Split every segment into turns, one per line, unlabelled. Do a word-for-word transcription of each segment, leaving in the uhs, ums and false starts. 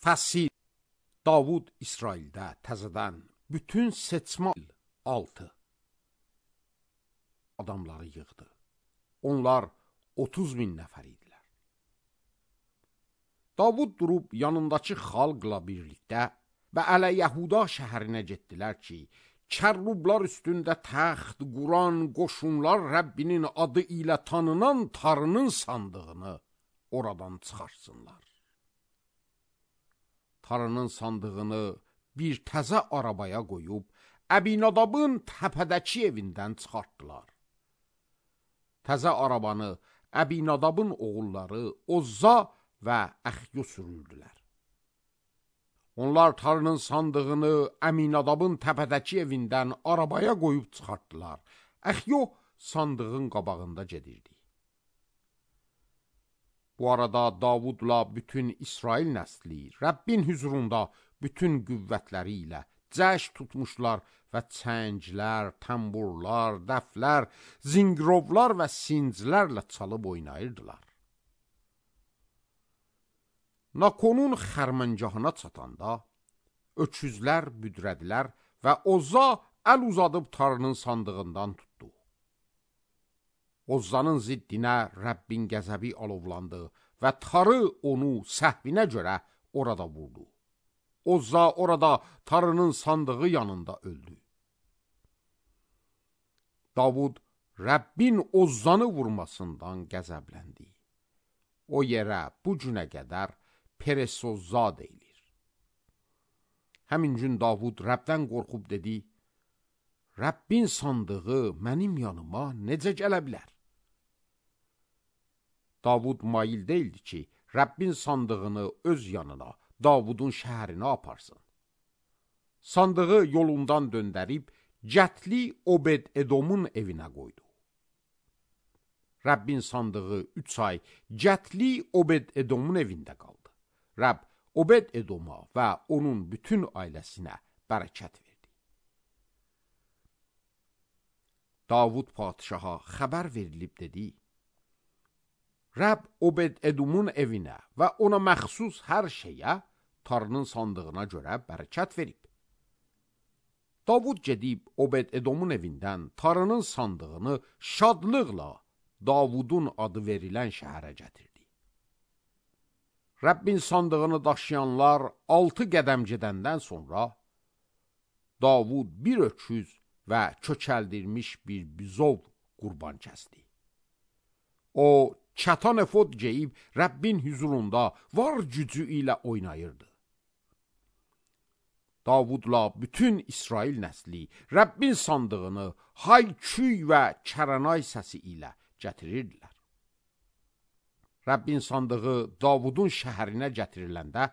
Fəsil. Davud İsraildə təzədən bütün seçmə altı adamları yığdı. Onlar otuz min nəfər idilər. Davud durub yanındakı xalqla birlikdə və Ələ Yəhuda şəhərinə getdilər ki, kərrublar üstündə təxt quran qoşunlar Rəbbinin adı ilə tanınan Tanrının sandığını oradan çıxarsınlar. Tanrının sandığını bir təzə arabaya qoyub, Əbinadabın təpədəki evindən çıxartdılar. Təzə arabanı Əbinadabın oğulları Ozza və Əxyo sürürdülər. Onlar Tanrının sandığını Əminadabın təpədəki evindən arabaya qoyub çıxartdılar. Əxyo sandığın qabağında gedirdi. Bu arada Davudla bütün İsrail nəsli Rəbbin hüzurunda bütün qüvvətləri ilə cəş tutmuşlar və çənglər, tamburlar, dəflər, zingirovlar və sinclərlə çalıb oynayırdılar. Nakonun xərməngahına çatanda öküzlər büdrədilər və Ozza əl uzadıb Tanrının sandığından tutdu. Ozzanın ziddinə Rəbbin qəzəbi alovlandı və Tanrı onu səhvinə görə orada vurdu. Ozza orada Tanrının sandığı yanında öldü. Davud Rəbbin Ozzanı vurmasından qəzəbləndi. O yerə bu günə qədər Peresozza deyilir. Həmin gün Davud Rəbdən qorxub dedi, Rəbbin sandığı mənim yanıma necə gələ bilər? Davud mail deyildi ki, Rəbbin sandığını öz yanına, Davudun şəhərinə aparsın. Sandığı yolundan döndərib, Cətli Obed-Edomun evinə qoydu. Rəbbin sandığı üç ay Cətli Obed-Edomun evində qaldı. Rəbb Obed-Edoma və onun bütün ailəsinə bərəkət verdi. Davud padişaha xəbər verilib dedi, Rəbb Obed-Edomun evinə və ona məxsus hər şeyə Tanrının sandığına görə bərəkət verib. Davud gedib Obed-Edomun evindən Tanrının sandığını şadlıqla Davudun adı verilən şəhərə gətirdi. Rəbbin sandığını daşıyanlar altı qədəm gedəndən sonra Davud bir öküz və kökəldirmiş bir bizov qurban kəsdi. O, çatan efod geyib Rəbbin hüzurunda var gücü ilə oynayırdı. Davudla bütün İsrail nəsli Rəbbin sandığını hay-küy və kərənay səsi ilə gətirirdilər. Rəbbin sandığı Davudun şəhərinə gətiriləndə,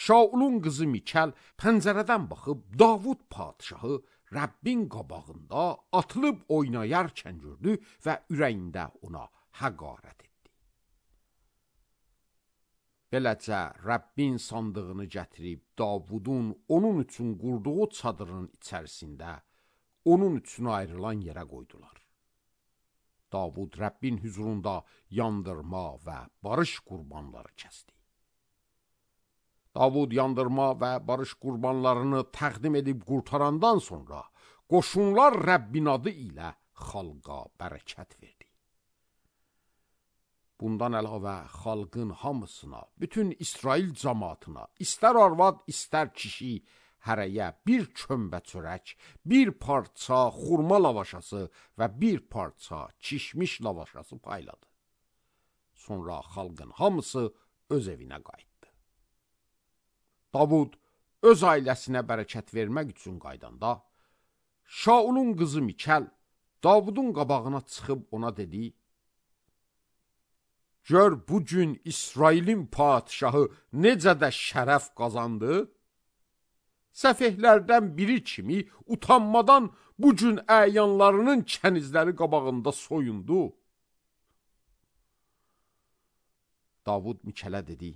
Şaulun qızı Mikəl pəncərədən baxıb Davud padişahı Rəbbin qabağında atılıb oynayarkən gördü və ürəyində ona həqarət etdi. Beləcə Rəbbin sandığını gətirib Davudun onun üçün qurduğu çadırın içərisində onun üçün ayrılan yerə qoydular. Davud Rəbbin hüzurunda yandırma və barış qurbanları kəsdi. Davud yandırma və barış qurbanlarını təqdim edib qurtarandan sonra qoşunlar Rəbbin adı ilə xalqa bərəkət verdi. Bundan əlavə xalqın hamısına, bütün İsrail cəmaatına, istər arvad, istər kişi, hərəyə bir kömbə çörək, bir parça xurma lavaşası və bir parça kişmiş lavaşası payladı. Sonra xalqın hamısı öz evinə qayıtdı. Davud öz ailəsinə bərəkət vermək üçün qaydanda, Şaulun qızı Mikəl Davudun qabağına çıxıb ona dedi, Gör bu gün İsrailin padişahı necə də şərəf qazandı? Səfehlərdən biri kimi utanmadan bu gün əyanlarının kənizləri qabağında soyundu. Davud Mikələ dedi,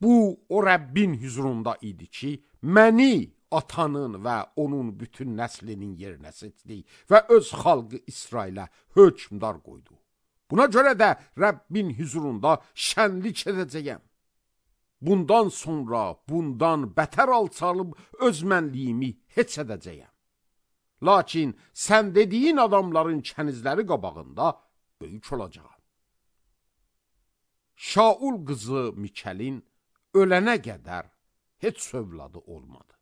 bu o Rəbbin hüzurunda idi ki, məni atanın və onun bütün nəslinin yerinə seçdi və öz xalqı İsrailə hökmdar qoydu. Buna görə də Rəbbin hüzurunda şənlik edəcəyəm. bundan sonra bundan bətər alçalıb öz mənliyimi heç edəcəyəm. Lakin sən dediyin adamların kənizləri qabağında böyük olacağam. Şaul qızı Mikəlin ölənə qədər heç övladı olmadı.